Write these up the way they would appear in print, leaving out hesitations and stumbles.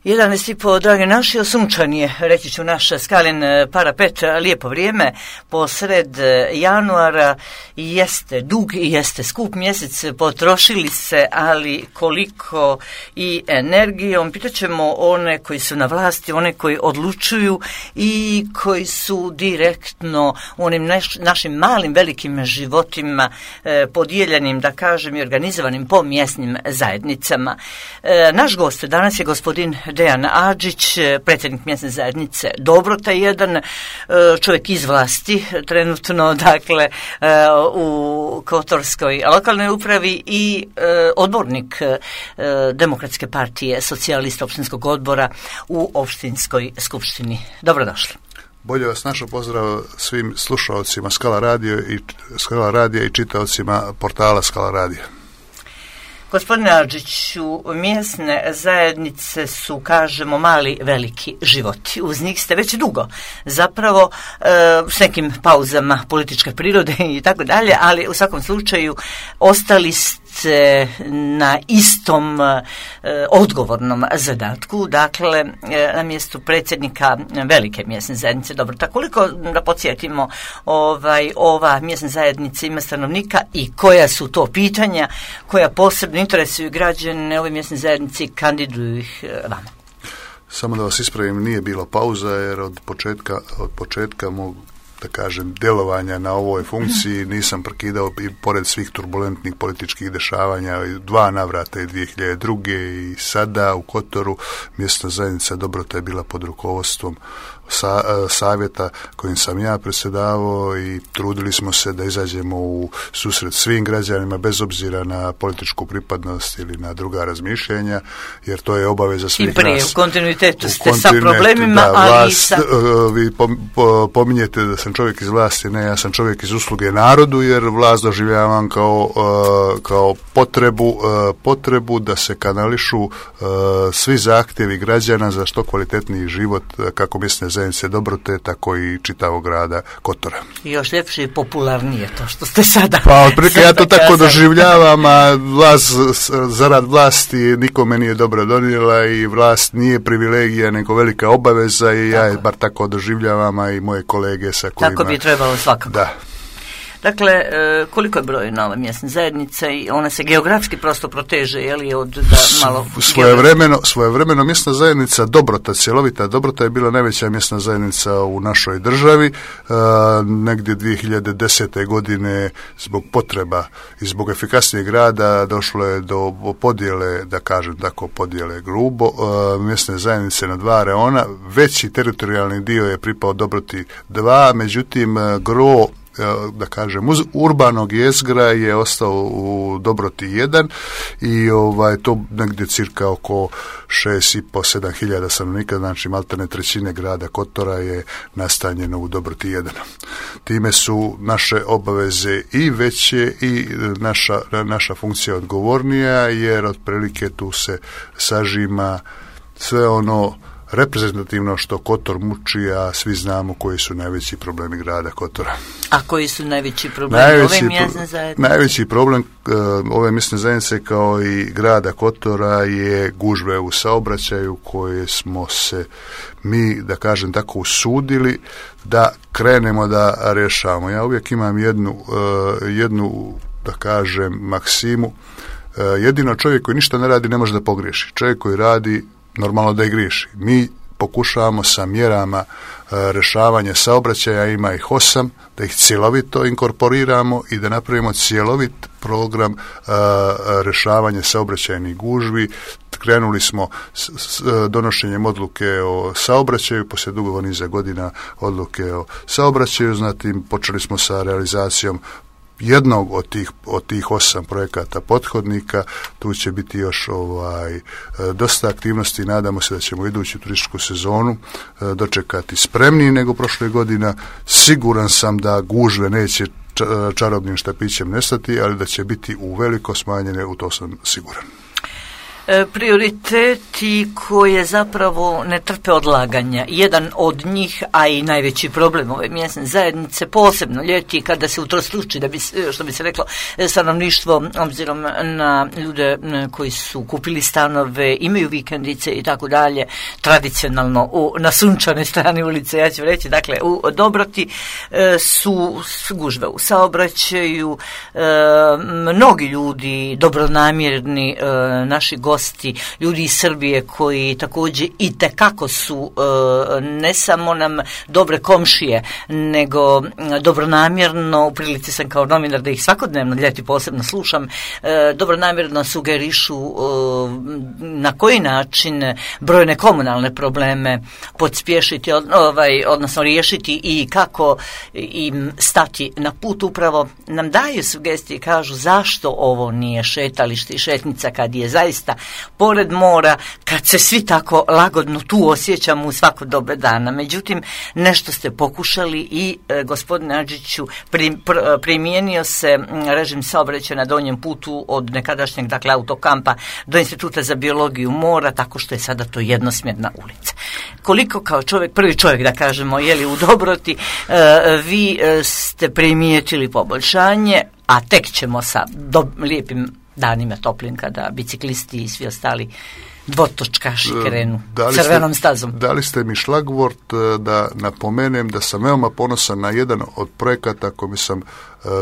11:30, dragi naši, sunčan je, reći ću, naš Skalin parapet, lijepo vrijeme, posred januara, jeste dug i jeste skup mjesec, potrošili se, ali koliko i energijom. Pitaćemo one koji su na vlasti, one koji odlučuju i koji su direktno u onim našim malim, velikim životima podijeljenim, da kažem, i organizovanim po mjesnim zajednicama. Naš gost danas je gospodin Dejan Adžić, predsjednik mjesne zajednice Dobrota 1, čovjek iz vlasti, trenutno, dakle, u Kotorskoj lokalnoj upravi i odbornik Demokratske partije socijalista opštinskog odbora u opštinskoj skupštini. Dobrodošli. Bolje vas našao, pozdrav svim slušalcima Skala radija i čitaocima portala Skala radija. Gospodine Adžiću, mjesne zajednice su, kažemo, mali, veliki životi. Uz njih ste već dugo, zapravo s nekim pauzama političke prirode i tako dalje, ali u svakom slučaju ostali ste na istom odgovornom zadatku, dakle na mjestu predsjednika velike mjesne zajednice Dobrota. Koliko, da podsjetimo, ova mjesna zajednica ima stanovnika i koja su to pitanja koja posebno interesuju građane ove mjesne zajednice i kandiduju ih vama? Samo da vas ispravim, nije bilo pauza, jer od početka mog, da kažem, djelovanja na ovoj funkciji nisam prekidao, i pored svih turbulentnih političkih dešavanja, 2 navrata i 2002. i sada u Kotoru mjesna zajednica Dobrota je bila pod rukovodstvom savjeta kojim sam ja predsjedavao i trudili smo se da izađemo u susret svim građanima bez obzira na političku pripadnost ili na druga razmišljenja, jer to je obaveza svih nas. I prije u kontinuitetu ste sa problemima, da, ali vi pominjete da sam čovjek iz vlasti, ne, ja sam čovjek iz usluge narodu, jer vlast doživljavam kao potrebu da se kanališu svi zahtjevi građana za što kvalitetniji život, kako mjesne zajednice Dobrote, tako i čitavog grada Kotora. I još ljepše i popularnije to što ste sada. Pa otprilike ja to tako doživljavam, a zarad vlasti nikome nije dobro donijela i vlast nije privilegija, nego velika obaveza i tako. Ja je bar tako doživljavam, a i moje kolege sa kojima... Tako bi trebalo svakako. Da. Dakle, koliko je broj nova mjesna zajednica i ona se geografski prosto proteže, je li, od da malo... Svojevremeno mjesna zajednica Dobrota, cjelovita Dobrota je bila najveća mjesna zajednica u našoj državi. Negdje 2010. godine zbog potreba i zbog efikasnijeg rada došlo je do podjele, da kažem tako, podjele grubo, mjesne zajednice na 2 reona. Veći teritorijalni dio je pripao Dobroti 2, međutim gro, da kažem, urbanog jezgra je ostao u Dobroti 1 i to negdje cirka oko 6,5-7 hiljada stanovnika, znači maltene trećine grada Kotora je nastanjeno u Dobroti 1. Time su naše obaveze i veće i naša funkcija odgovornija, jer otprilike tu se sažima sve ono reprezentativno što Kotor muči, a svi znamo koji su najveći problemi grada Kotora. A koji su najveći problemi ove mjesne zajednice? Najveći problem ove mjesne zajednice kao i grada Kotora je gužve u saobraćaju koje smo se mi, da kažem tako, usudili da krenemo da rješavamo. Ja uvijek imam jednu, da kažem, maksimu. Jedino čovjek koji ništa ne radi ne može da pogriješi. Čovjek koji radi, normalno da i griješi. Mi pokušavamo sa mjerama rješavanja saobraćaja, ima ih 8, da ih cjelovito inkorporiramo i da napravimo cjelovit program rješavanja saobraćajnih gužvi. Krenuli smo s donošenjem odluke o saobraćaju, poslije dugog niza godina odluke o saobraćaju, zatim počeli smo sa realizacijom jednog od tih 8 projekata pothodnika. Tu će biti još dosta aktivnosti. Nadamo se da ćemo iduću turističku sezonu dočekati spremniji nego prošle godina. Siguran sam da gužve neće čarobnim štapićem nestati, ali da će biti uveliko smanjene, u to sam siguran. Prioriteti koje zapravo ne trpe odlaganja. Jedan od njih, a i najveći problem ove mjesne zajednice, posebno ljeti kada se utrostruči, što bi se reklo, stanovništvo, obzirom na ljude koji su kupili stanove, imaju vikendice i tako dalje, tradicionalno na sunčanoj strani ulice, ja ću reći, dakle u Dobroti su gužve u saobraćaju, mnogi ljudi dobronamjerni, naši gosti, ljudi iz Srbije koji također itekako su ne samo nam dobre komšije, nego dobronamjerno, u prilici sam kao novinar da ih svakodnevno ljeti posebno slušam, dobronamjerno sugerišu na koji način brojne komunalne probleme podspješiti, odnosno riješiti i kako im stati na put. Upravo nam daju sugestije i kažu zašto ovo nije šetalište i šetnica kad je zaista pored mora, kad se svi tako lagodno tu osjećamo u svako doba dana. Međutim, nešto ste pokušali i gospodine Adžiću, primijenio se režim saobraćaja na donjem putu od nekadašnjeg, dakle, autokampa do Instituta za biologiju mora, tako što je sada to jednosmjerna ulica. Koliko kao prvi čovjek da kažemo, u Dobroti, vi ste primijetili poboljšanje, a tek ćemo sa lijepim danima toplim kada biciklisti i svi ostali dvotočkaši krenu crvenom stazom. Dali ste mi šlagvort da napomenem da sam veoma ponosan na jedan od projekata kojim sam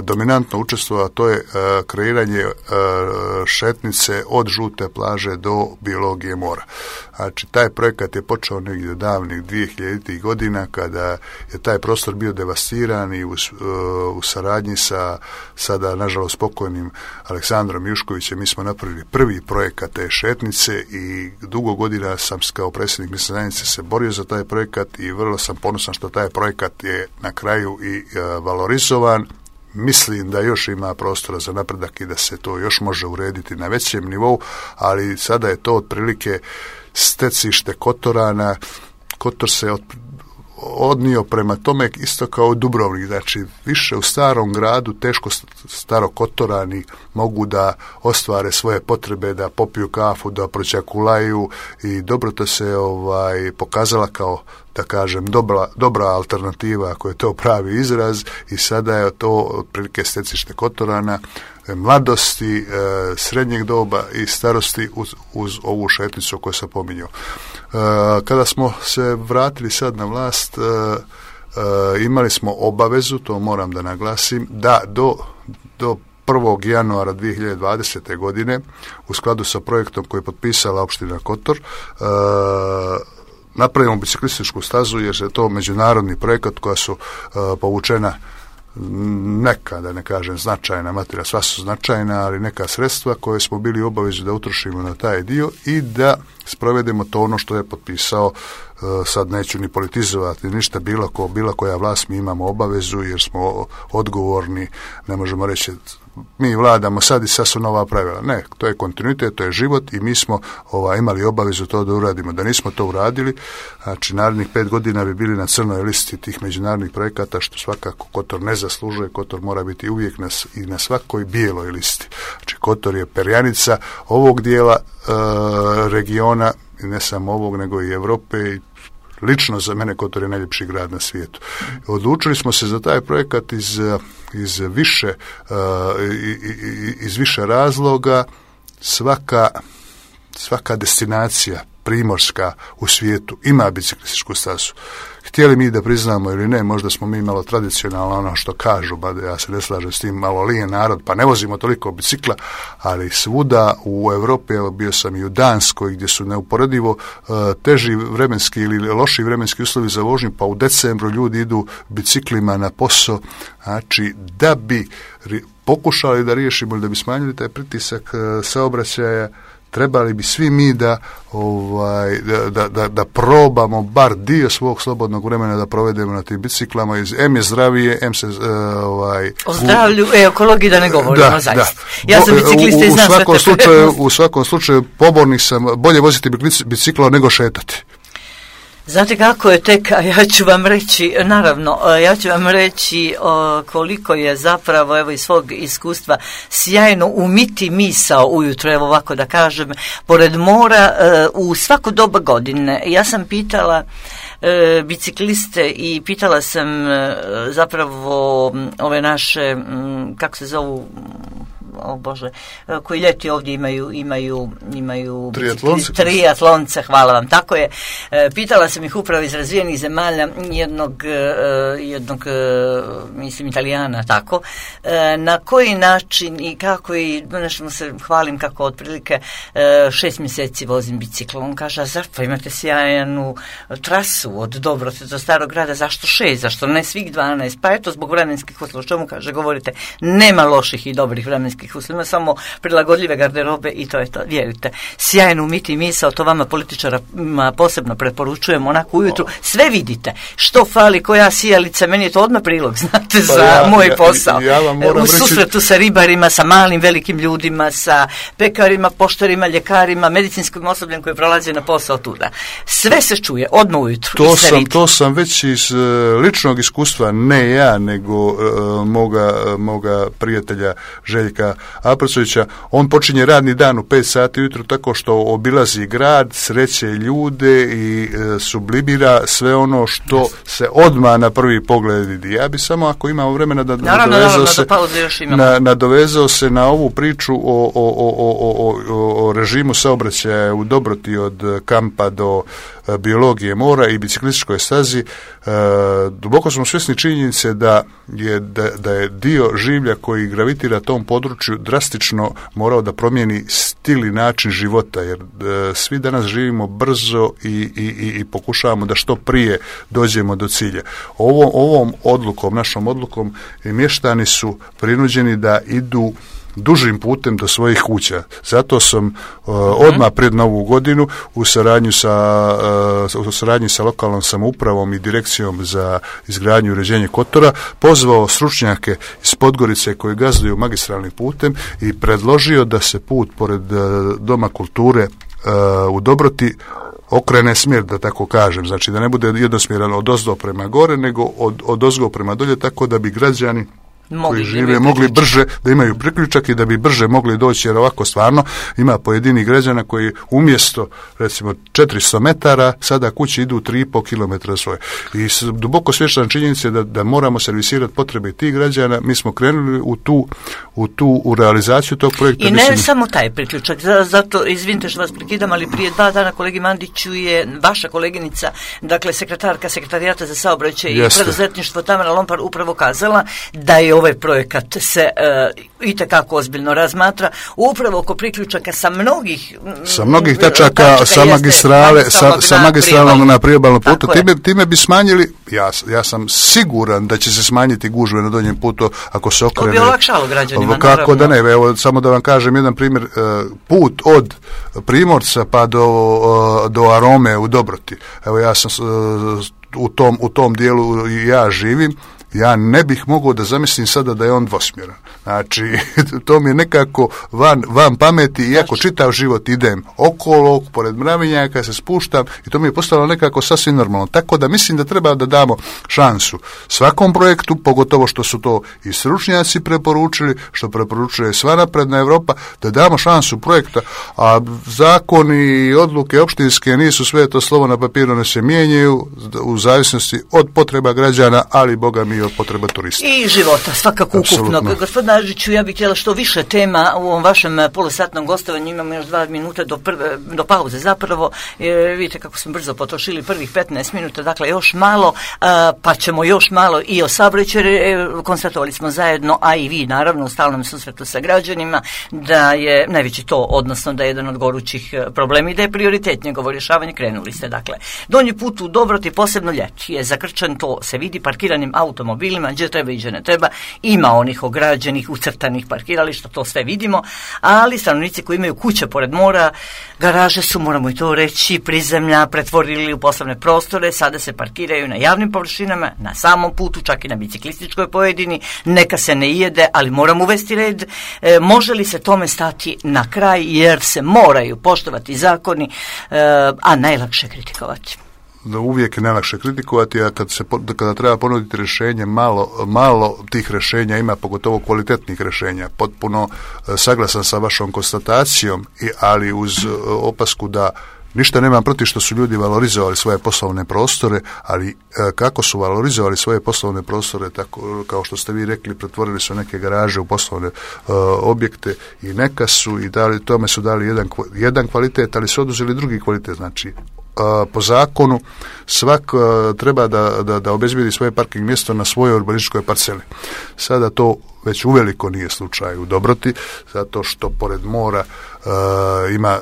dominantno učestvovao, a to je kreiranje šetnice od Žute plaže do biologije mora. Znači, taj projekat je počeo negdje davnih 2000. godina kada je taj prostor bio devastiran i u saradnji sa sada, nažalost, pokojnim Aleksandrom Juškovićem mi smo napravili prvi projekat te šetnice i dugo godina sam kao predsjednik mjesne zajednice se borio za taj projekat i vrlo sam ponosan što taj projekat je na kraju i valorizovan. Mislim da još ima prostora za napredak i da se to još može urediti na većem nivou, ali sada je to otprilike stecište Kotorana. Kotor se odnio prema tome isto kao Dubrovnik, znači više u starom gradu teško starokotorani mogu da ostvare svoje potrebe, da popiju kafu, da proćakulaju i Dobrota se pokazala kao, da kažem, dobra alternativa, ako je to pravi izraz, i sada je to otprilike stecište Kotorana, mladosti, srednjeg doba i starosti uz ovu šetnicu koju sam pominjao. Kada smo se vratili sad na vlast, imali smo obavezu, to moram da naglasim, da do 1. januara 2020. godine, u skladu sa projektom koji je potpisala opština Kotor, napravimo biciklističku stazu, jer je to međunarodni projekat koja su povučena neka, da ne kažem značajna materija, sva su značajna, ali neka sredstva koje smo bili obavezni da utrošimo na taj dio i da sprovedemo to ono što je potpisao, sad neću ni politizovati ništa, bila koja vlast, mi imamo obavezu jer smo odgovorni, ne možemo reći mi vladamo sad i sad su nova pravila. Ne, to je kontinuitet, to je život i mi smo imali obavezu to da uradimo. Da nismo to uradili, znači narednih 5 godina bi bili na crnoj listi tih međunarodnih projekata, što svakako Kotor ne zaslužuje. Kotor mora biti uvijek i na svakoj bijeloj listi. Znači Kotor je perjanica ovog dijela regiona, i ne samo ovog, nego i Europe, i lično za mene Kotor je najljepši grad na svijetu. Odlučili smo se za taj projekat iz više razloga. Svaka destinacija primorska u svijetu ima biciklističku stazu. Htjeli mi da priznamo ili ne, možda smo mi malo tradicionalno ono što kažu, ja se ne slažem s tim, malo lijen narod, pa ne vozimo toliko bicikla, ali svuda u Europi, evo bio sam i u Danskoj gdje su neuporedivo teži vremenski ili loši vremenski uslovi za vožnju, pa u decembru ljudi idu biciklima na posao, znači da bi pokušali da riješimo ili da bi smanjili taj pritisak saobraćaja, trebali bi svi mi da probamo bar dio svog slobodnog vremena da provedemo na tim biciklama. M je zdravije, M se o zdravlju, ekologiji da ne govorimo, zaista. Da. Ja sam biciklista i znam u svakom slučaju pobornik sam bolje voziti bicikla nego šetati. Znate kako je tek, ja ću vam reći, naravno, ja ću vam reći koliko je zapravo, evo iz svog iskustva, sjajno umiti misao ujutro, evo ovako da kažem, pored mora u svako doba godine. Ja sam pitala bicikliste i pitala sam zapravo ove naše, kako se zovu, koji ljeti ovdje imaju triatlonce, hvala vam, tako je. Pitala sam ih upravo iz razvijenih zemalja, jednog mislim Italijana, tako, na koji način i kako, i nešto se hvalim kako otprilike 6 mjeseci vozim bicikl. On kaže, zašto imate sjajnu trasu od Dobrote do Starog grada, zašto 6, zašto ne svih 12? Pa eto, zbog vremenskih uslova, čemu kaže, govorite, nema loših i dobrih vremenskih uslova, samo prilagodljive garderobe i to je to, vjerujte. Sjajno umiti misao, to vama političarima posebno preporučujem, onako ujutru, sve vidite, što fali, koja sijalica, meni je to odmah prilog, znate, za moj posao. U susretu sa ribarima, sa malim, velikim ljudima, sa pekarima, poštarima, ljekarima, medicinskim osobljem koji prolazi na posao tuda. Sve se čuje, odmah ujutru. To sam već iz ličnog iskustva, ne ja, nego moga prijatelja Željka Aprcovića. On počinje radni dan u 5 sati ujutro tako što obilazi grad, sreće ljude i sublimira sve ono što se odmah na prvi pogled vidi. Ja bi samo, ako imamo vremena, nadovezao se na ovu priču o režimu saobraćaja u Dobroti od kampa do biologije mora i biciklističkoj stazi. Duboko smo svjesni činjenice da je dio življa koji gravitira tom području drastično morao da promijeni stil i način života, jer svi danas živimo brzo i pokušavamo da što prije dođemo do cilja. Ovom odlukom, našom odlukom, mještani su prinuđeni da idu dužim putem do svojih kuća. Zato sam odmah pred Novu godinu u saradnji sa lokalnom samoupravom i direkcijom za izgradnju i uređenje Kotora pozvao stručnjake iz Podgorice koji gazduju magistralnim putem i predložio da se put pored Doma kulture u Dobroti okrene smjer, da tako kažem, znači da ne bude jednosmjeran od ozdo prema gore, nego od ozgo prema dolje, tako da bi građani koji žive mogli brže, da imaju priključak i da bi brže mogli doći, jer ovako stvarno ima pojedini građana koji umjesto recimo 400 metara sada kući idu 3,5 km svoje. I duboko svjestan činjenice da moramo servisirati potrebe tih građana. Mi smo krenuli u realizaciju tog projekta. I ne samo taj priključak, zato izvinite što vas prekidam, ali prije 2 dana kolegi Mandiću je vaša koleginica, dakle sekretarka Sekretarijata za saobraćaj i preduzetništvo Tamara Lompar upravo kazala da je ovaj projekat se itekako ozbiljno razmatra upravo oko priključaka sa mnogih tačaka, sa magistralnog na priobalnom putu. Time bi smanjili, ja sam siguran da će se smanjiti gužve na donjem putu ako se okrene. To bi olakšalo građanima. Kako da ne, evo samo da vam kažem jedan primjer, put od Primorca pa do Arome u Dobroti. Evo ja sam u tom dijelu ja živim. Ja ne bih mogao da zamislim sada da je on dvosmjeran. Znači, to mi je nekako van pameti, iako čitav život idem okolo, pored mravinjaka se spuštam i to mi je postalo nekako sasvim normalno. Tako da mislim da treba da damo šansu svakom projektu, pogotovo što su to i stručnjaci preporučili, što preporučuje sva napredna Europa, da damo šansu projekta, a zakoni i odluke opštinske nisu sve to slovo na papiru, ne se mijenjaju u zavisnosti od potreba građana, ali boga mi od potreba turista. I života, svakako ukupno. Gospodine Ažiću, ja bih htjela što više tema u ovom vašem polusatnom gostovanju, imamo još 2 minuta do pauze zapravo, vidite kako smo brzo potrošili prvih 15 minuta, dakle još malo, pa ćemo još malo i o saobraćaju. Konstatovali smo zajedno, a i vi naravno u stalnom susretu sa građanima, da je najveći to, odnosno da je jedan od gorućih problema i da je prioritet njegovo rješavanje. Krenuli ste, dakle. Donji put u Dobroti, posebno ljeti, je zakrčen, to se vidi parkiranim automobilima, gdje treba i gdje ne treba. Ima onih ograđenih, ucrtanih parkirališta, to sve vidimo, ali stanovnici koji imaju kuće pored mora, garaže su, moramo i to reći, prizemlja pretvorili u poslovne prostore, sada se parkiraju na javnim površinama, na samom putu, čak i na biciklističkoj pojedini, neka se ne jede, ali moramo uvesti red. Može li se tome stati na kraj, jer se moraju poštovati zakoni, a najlakše kritikovati? uvijek je najlakše kritikovati, a kada treba ponuditi rješenje, malo tih rješenja ima, pogotovo kvalitetnih rješenja. Potpuno saglasan sa vašom konstatacijom, ali uz opasku da ništa nemam protiv što su ljudi valorizovali svoje poslovne prostore, ali kako su valorizovali svoje poslovne prostore, tako kao što ste vi rekli, pretvorili su neke garaže u poslovne objekte i neka su i tome su dali jedan kvalitet, ali su oduzeli drugi kvalitet. Znači, po zakonu svak treba da obezbijedi svoje parking mjesto na svojoj urbanističkoj parceli. Sada to već uveliko nije slučaj u Dobroti, zato što pored mora ima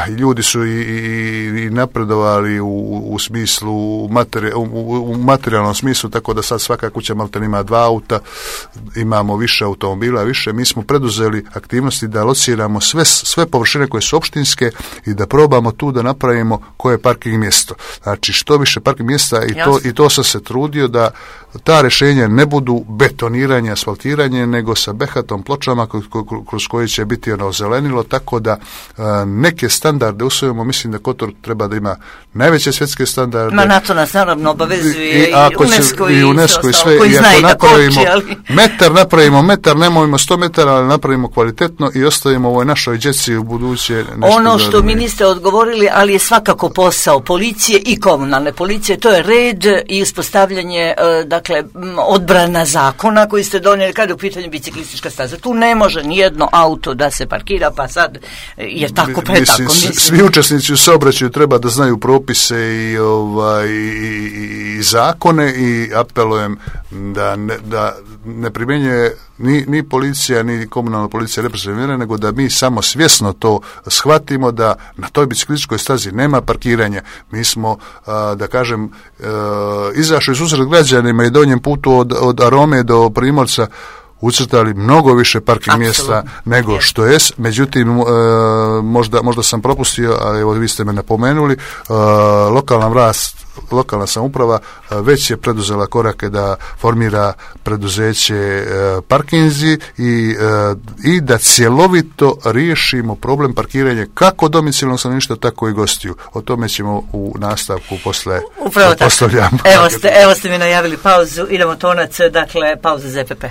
i ljudi su i napredovali u smislu u materijalnom smislu, tako da sad svaka kuća maltene ima 2 auta, imamo više automobila, više. Mi smo preduzeli aktivnosti da lociramo sve površine koje su opštinske i da probamo tu da napravimo koje je parking mjesto. Znači što više parking mjesta i to sam se trudio da ta rješenja ne budu betoniranje, asfaltiranje, nego sa behatom pločama kroz koje će biti zelenilo, tako da neke standarde usvojimo. Mislim da Kotor treba da ima najveće svjetske standarde. Na to nas naravno obavezuje i UNESCO i sve. Koji zna i da koči, ali... napravimo metar, nemojmo 100 metara, ali napravimo kvalitetno i ostavimo ovoj našoj djeci u buduće nešto. Ono što mi niste odgovorili, ali je svakako posao policije i komunalne policije, to je red i uspostavljanje, dakle, odbrana zakona koji ste donijeli kada je u pitanju biciklistička staza. Tu ne može nijedno auto da se parkira, pa sad je tako pretako. Svi učesnici u saobraćaju treba da znaju propise i zakone i apelujem da ne primjenjuje ni policija, ni komunalna policija represivne mjere, nego da mi samo svjesno to shvatimo da na toj biciklističkoj stazi nema parkiranja. Mi smo, da kažem, izašli susret građanima i donjem putu od Arome do Primorca ucrtali mnogo više parking mjesta nego što je. Međutim, možda sam propustio, a evo vi ste me napomenuli, lokalna samouprava već je preduzela korake da formira preduzeće parkinzi i da cjelovito riješimo problem parkiranja kako domicilnog stanovništva, tako i gostiju. O tome ćemo u nastavku posle postavljamo. Evo ste mi najavili pauzu, idemo tonac, dakle pauza za EPP.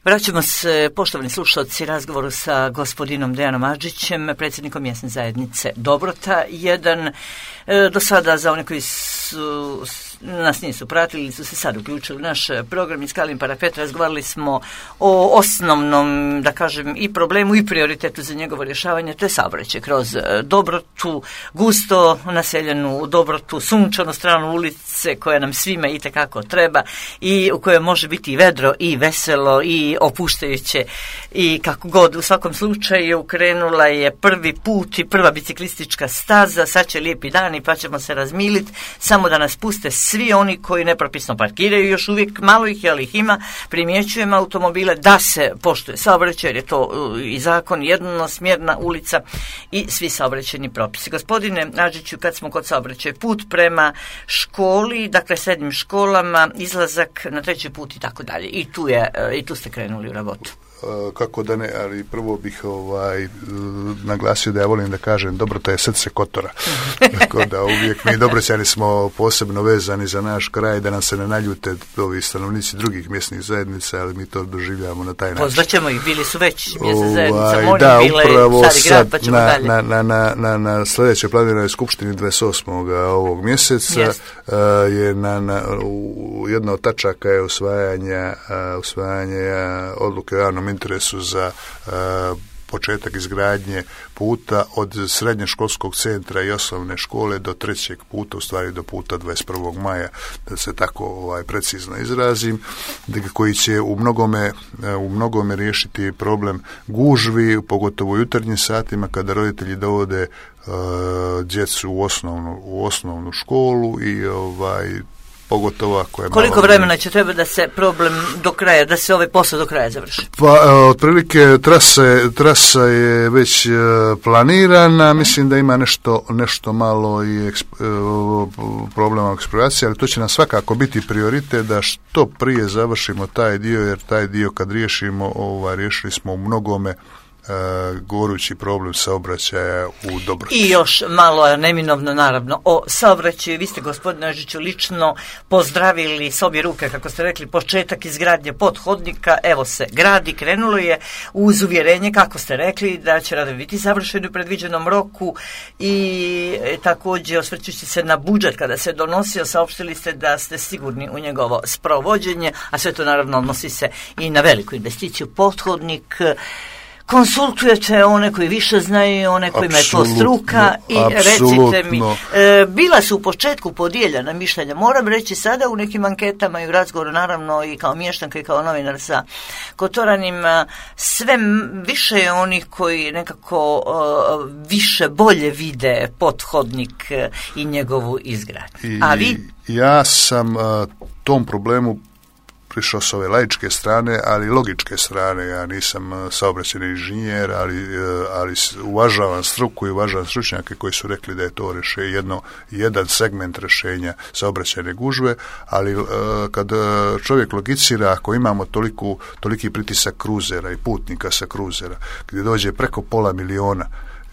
Vraćamo se, poštovani slušalci, razgovoru sa gospodinom Dejanom Adžićem, predsjednikom mjesne zajednice Dobrota 1. Do sada, za one koji nas nisu pratili ili su se sad uključili u naš program iz Kalin Parapet, razgovarali smo o osnovnom, da kažem, i problemu i prioritetu za njegovo rješavanje, to je saobraćaj kroz Dobrotu, gusto naseljenu Dobrotu, sunčanu stranu ulice koja nam svima itekako treba i u kojoj može biti i vedro i veselo i opuštajuće i kako god. U svakom slučaju krenula je prvi put i prva biciklistička staza, sad će lijepi dani pa ćemo se razmiliti, samo da nas puste svi oni koji nepropisno parkiraju, još uvijek malo ih je, ali ih ima, primjećujemo automobile, da se poštuje saobraćaj, jer je to i zakon, jednosmjerna ulica i svi saobraćajni propisi. Gospodine Adžiću, kad smo kod saobraćaja, put prema školi, dakle srednjim školama, izlazak na treći put i tako dalje. I tu ste krenuli u rabotu. Kako da ne, ali prvo bih naglasio da ja volim da kažem Dobrota je srce Kotora. Tako da uvijek mi Dobroćani smo posebno vezani za naš kraj, da nam se ne naljute ovi stanovnici drugih mjesnih zajednica, ali mi to doživljavamo na taj način. Pozvaćemo ih, bili su već mjesne zajednica, da, upravo sad pa na sljedećoj planiranoj skupštini 28. ovog mjeseca je jedna od tačaka je usvajanje odluke o javnom interesu za početak izgradnje puta od srednjoškolskog centra i osnovne škole do trećeg puta, u stvari do puta 21. maja, da se tako precizno izrazim, koji će u mnogome riješiti problem gužvi, pogotovo u jutarnjim satima kada roditelji dovode djecu u osnovnu školu i pogotovo ako je koliko vremena će treba da se problem do kraja, da se ovaj posao do kraja završi? Pa otprilike trasa je već planirana, mislim da ima nešto malo i problema eksploatacije, ali to će nam svakako biti prioritet da što prije završimo taj dio, jer taj dio kad riješimo, riješili smo u mnogome gorući problem saobraćaja u Dobroći. I još malo neminovno naravno o saobraćaju. Vi ste, gospodine Ažiću, lično pozdravili s obje ruke, kako ste rekli, početak izgradnje pothodnika. Evo se gradi, krenulo je uz uvjerenje, kako ste rekli, da će radovi biti završeni u predviđenom roku i također osvrćući se na budžet kada se donosio, saopštili ste da ste sigurni u njegovo sprovođenje, a sve to naravno odnosi se i na veliku investiciju. Pothodnik konsultujete one koji više znaju, one kojima je to struka i recite mi, bila su u početku podijeljena mišljenja, moram reći sada u nekim anketama i u razgovoru naravno i kao mještanka i kao novinar sa Kotoranima, sve više je onih koji nekako više bolje vide pothodnik i njegovu izgradnju. A vi? Ja sam tom problemu prišao s ove laičke strane, ali logičke strane. Ja nisam saobraćajni inženjer, ali uvažavam struku i uvažavam stručnjake koji su rekli da je to jedan segment rješenja saobraćajne gužve, ali kad čovjek logicira, ako imamo toliki pritisak kruzera i putnika sa kruzera, gdje dođe preko 500.000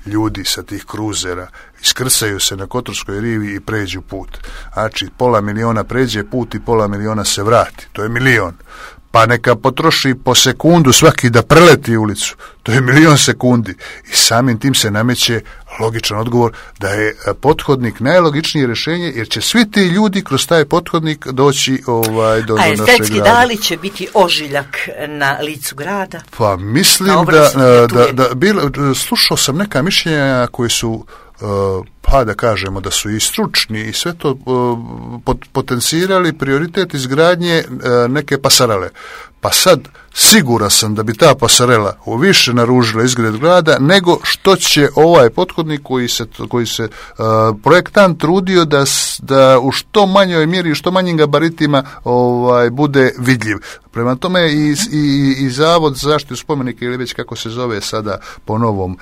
ljudi sa tih kruzera, iskrcaju se na Kotorskoj rivi i pređu put. Znači, 500.000 pređe put i 500.000 se vrati. To je 1.000.000. Pa neka potroši po sekundu svaki da preleti ulicu. To je 1.000.000 sekundi. I samim tim se nameće logičan odgovor da je pothodnik najlogičnije rješenje, jer će svi ti ljudi kroz taj pothodnik doći do našeg grada. A estetski da li će biti ožiljak na licu grada? Pa mislim slušao sam neka mišljenja koji su pa da kažemo da su i stručni i sve to potencirali prioritet izgradnje neke pasarele. Pa sad siguran sam da bi ta pasarela više naružila izgled grada nego što će ovaj pothodnik koji se projektant trudio da u što manjoj mjeri, u što manjim gabaritima bude vidljiv. Prema tome i Zavod za zaštitu spomenika, ili već kako se zove sada po novom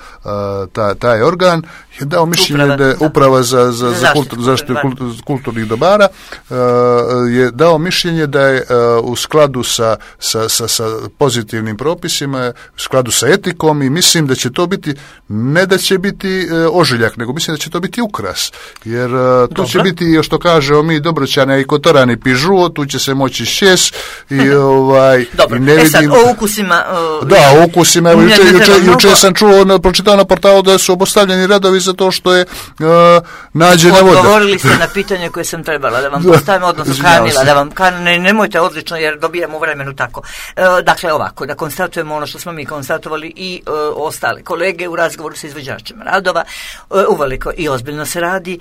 taj organ, je dao mišljenje da je Uprava za zaštitu kulturnih dobara je dao mišljenje da je u skladu sa pozitivnim propisima, u skladu sa etikom, i mislim da će to biti, ne da će biti ožiljak, nego mislim da će to biti ukras, jer to će biti, što kažemo mi Dobroćane i Kotorani, pižuo, tu će se moći šes i dobro, i ne vidim... sad o ukusima... o ukusima, juče sam pročitao na portalu da su obustavljeni radovi zato što je nađena voda. Odgovorili ste na pitanje koje sam trebala da vam postavim, odnosno kanila, da vam nemojte odlično jer dobijamo u vremenu tako. Dakle, ovako, da konstatujemo ono što smo mi konstatovali i ostali kolege u razgovoru sa izvođačima radova, uveliko i ozbiljno se radi,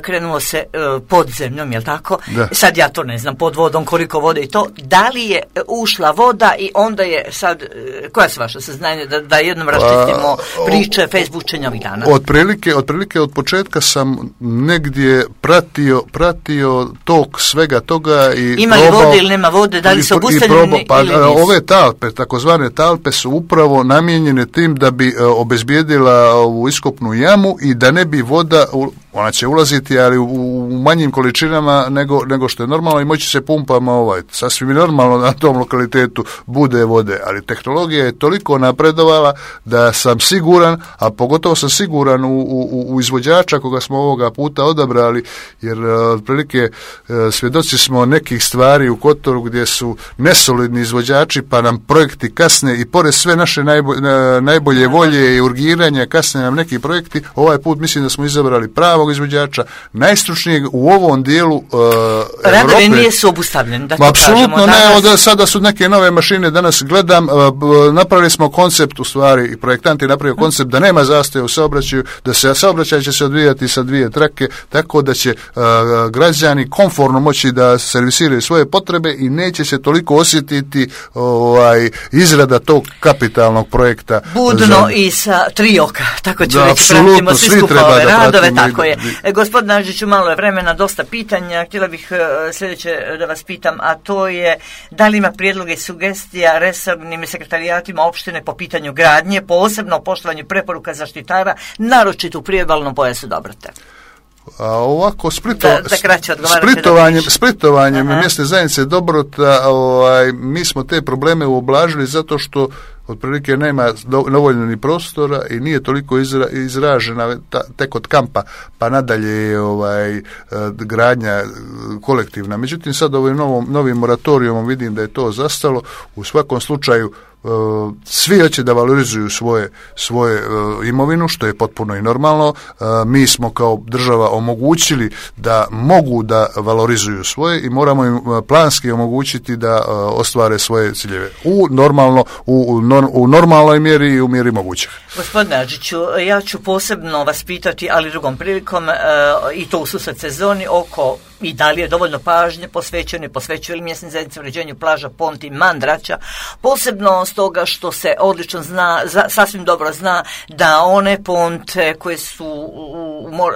krenulo se pod zemljom, jel tako? Da. Sad ja to ne znam, pod vodom, koliko vode i to, da li je ušla voda i onda je sad, koja su vaša saznanja da jednom raščistimo priče Facebookenja ovih dana? Otprilike od početka sam negdje pratio tok svega toga i ima li vode ili nema vode, da li su obustavljeni ili nisu? Ove talpe, takozvane talpe, su upravo namijenjene tim da bi obezbijedila ovu iskopnu jamu i da ne bi voda, ona će ulaziti, ali u manjim količinama nego što je normalno, i moći se pumpama sasvim normalno na tom lokalitetu bude vode, ali tehnologija je toliko napredovala da sam siguran, a pogotovo sam siguran u izvođača koga smo ovoga puta odabrali, jer otprilike svjedoci smo nekih stvari u Kotoru gdje su nesolidni izvođači pa nam projekti kasne, i pored sve naše najbolje volje i urgiranja kasne nam neki projekti. Ovaj put mislim da smo izabrali pravog novog izvođača, najstručnijeg u ovom dijelu radovi nisu obustavljeni, da to apsolutno kažemo. Ne, sada su neke nove mašine, danas gledam, napravili smo koncept, u stvari, i projektant je napravio koncept da nema zastoja u saobraćaju, da se saobraćaj će se odvijati sa 2 trake, tako da će građani komforno moći da servisiraju svoje potrebe i neće se toliko osjetiti izrada tog kapitalnog projekta. Budno i sa 3 oka, tako ću reći, pratimo svi skupa ove radove, tako je. Gospodin Nađiću, malo je vremena, dosta pitanja, htjela bih sljedeće da vas pitam, a to je da li ima prijedloge i sugestija resornim sekretarijaatima opštine po pitanju gradnje, posebno o poštovanju preporuka zaštitara, naročito u priobalnom pojasu Dobrote. A ovako splitovanjem mjesne zajednice Dobrota, mi smo te probleme ublažili zato što otprilike nema dovoljno ni prostora i nije toliko izražena tek od kampa pa nadalje je gradnja kolektivna. Međutim, sad ovim novim moratorijumom vidim da je to zastalo. U svakom slučaju svi hoće da valorizuju svoje imovinu, što je potpuno i normalno. Mi smo kao država omogućili da mogu da valorizuju svoje i moramo im planski omogućiti da ostvare svoje ciljeve u normalnoj mjeri i u mjeri mogućeg. Gospodine Adžiću, ja ću posebno vas pitati, ali drugom prilikom, i to u susret sezoni, oko i da li je dovoljno pažnje posvećuje li mjesne zajednice uređenju plaža, Ponti, Mandraća, posebno stoga što se odlično zna, sasvim dobro zna da one ponte koje su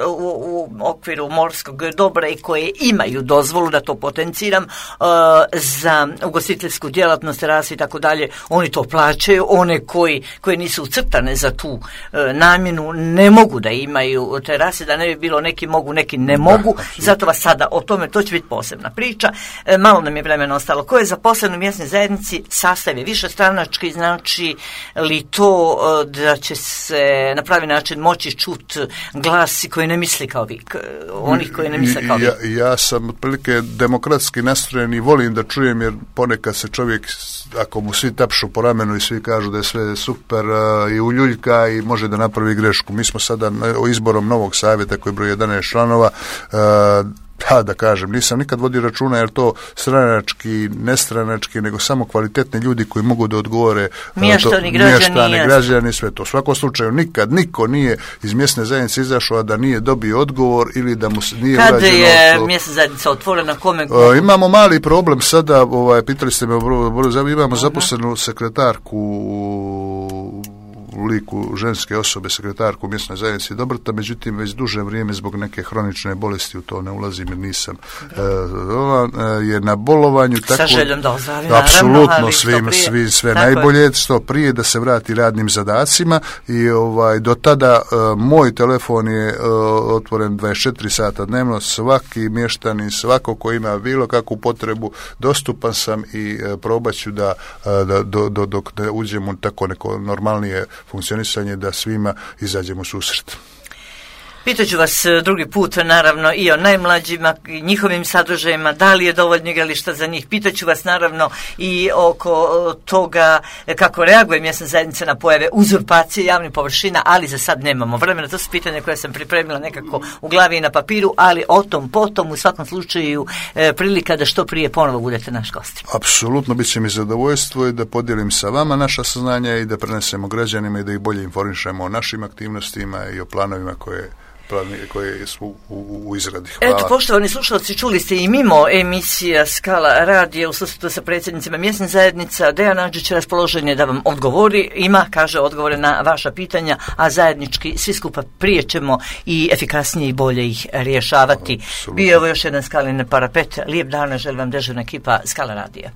u okviru morskog dobra i koje imaju dozvolu, da to potenciram, za ugostiteljsku djelatnost, terase i tako dalje, oni to plaćaju, one koje nisu ucrtane za tu namjenu ne mogu da imaju terase, da ne bi bilo neki mogu, neki ne mogu, zato vas sada o tome, to će biti posebna priča. Malo nam je vremena ostalo. Ko je zaposlen u mjesnoj zajednici, sastav je višestranački, znači li to da će se na pravi način moći čuti glasi koji ne misli kao vi, onih koji ne misle kao vi? Ja sam otprilike demokratski nastrojen i volim da čujem, jer ponekad se čovjek, ako mu svi tapšu po ramenu i svi kažu da je sve super i uljuljka i može da napravi grešku. Mi smo sada izborom novog savjeta koji broji 11 članova, da kažem, nisam nikad vodio računa jer to stranački, nestranački, nego samo kvalitetni ljudi koji mogu da odgovore mještani, građani, sve to. U svakom slučaju nikad niko nije iz mjesne zajednice izašao da nije dobio odgovor ili da mu nije urađeno. Kada je mjesna zajednica otvorena, kome? Imamo mali problem sada, pitali ste me, imamo zaposlenu sekretarku u liku ženske osobe, sekretarku mjesnoj zajednici Dobrota, međutim već duže vrijeme zbog neke hronične bolesti u to ne ulazim jer nisam je na bolovanju, tako sa željom da ozdravi, apsolutno sve najbolje, što prije da se vrati radnim zadacima i do tada moj telefon je otvoren 24 sata dnevno, svaki mještanin, svako ko ima bilo kakvu potrebu, dostupan sam i probat ću da dok ne uđemo tako neko normalnije funkcionisanje, da svima izađemo u susret. Pitaću vas drugi put, naravno, i o najmlađima, i njihovim sadržajima, da li je dovoljno igrališta za njih. Pitaću vas, naravno, i oko toga kako reaguje mjesna zajednica na pojave uzurpacije javnih površina, ali za sad nemamo vremena. To su pitanja koje sam pripremila nekako u glavi i na papiru, ali o tom potom, u svakom slučaju, prilika da što prije ponovo budete naš gost. Apsolutno, bit će mi zadovoljstvo i da podijelim sa vama naša saznanja i da prenesemo građanima i da ih bolje informišemo o našim aktivnostima i o planovima koje su u izradi. Hvala. Eto, poštovani slušalci, čuli ste i mimo emisija Skala radija u susretu sa predsjednicima mjesnih zajednica. Dejan Adžić raspoložen je da vam odgovori. Kaže odgovore na vaša pitanja, a zajednički svi skupa prije ćemo i efikasnije i bolje ih rješavati. Bio je ovo još jedan Skalin parapet. Lijep dan, želim vam dežurna ekipa Skala radija.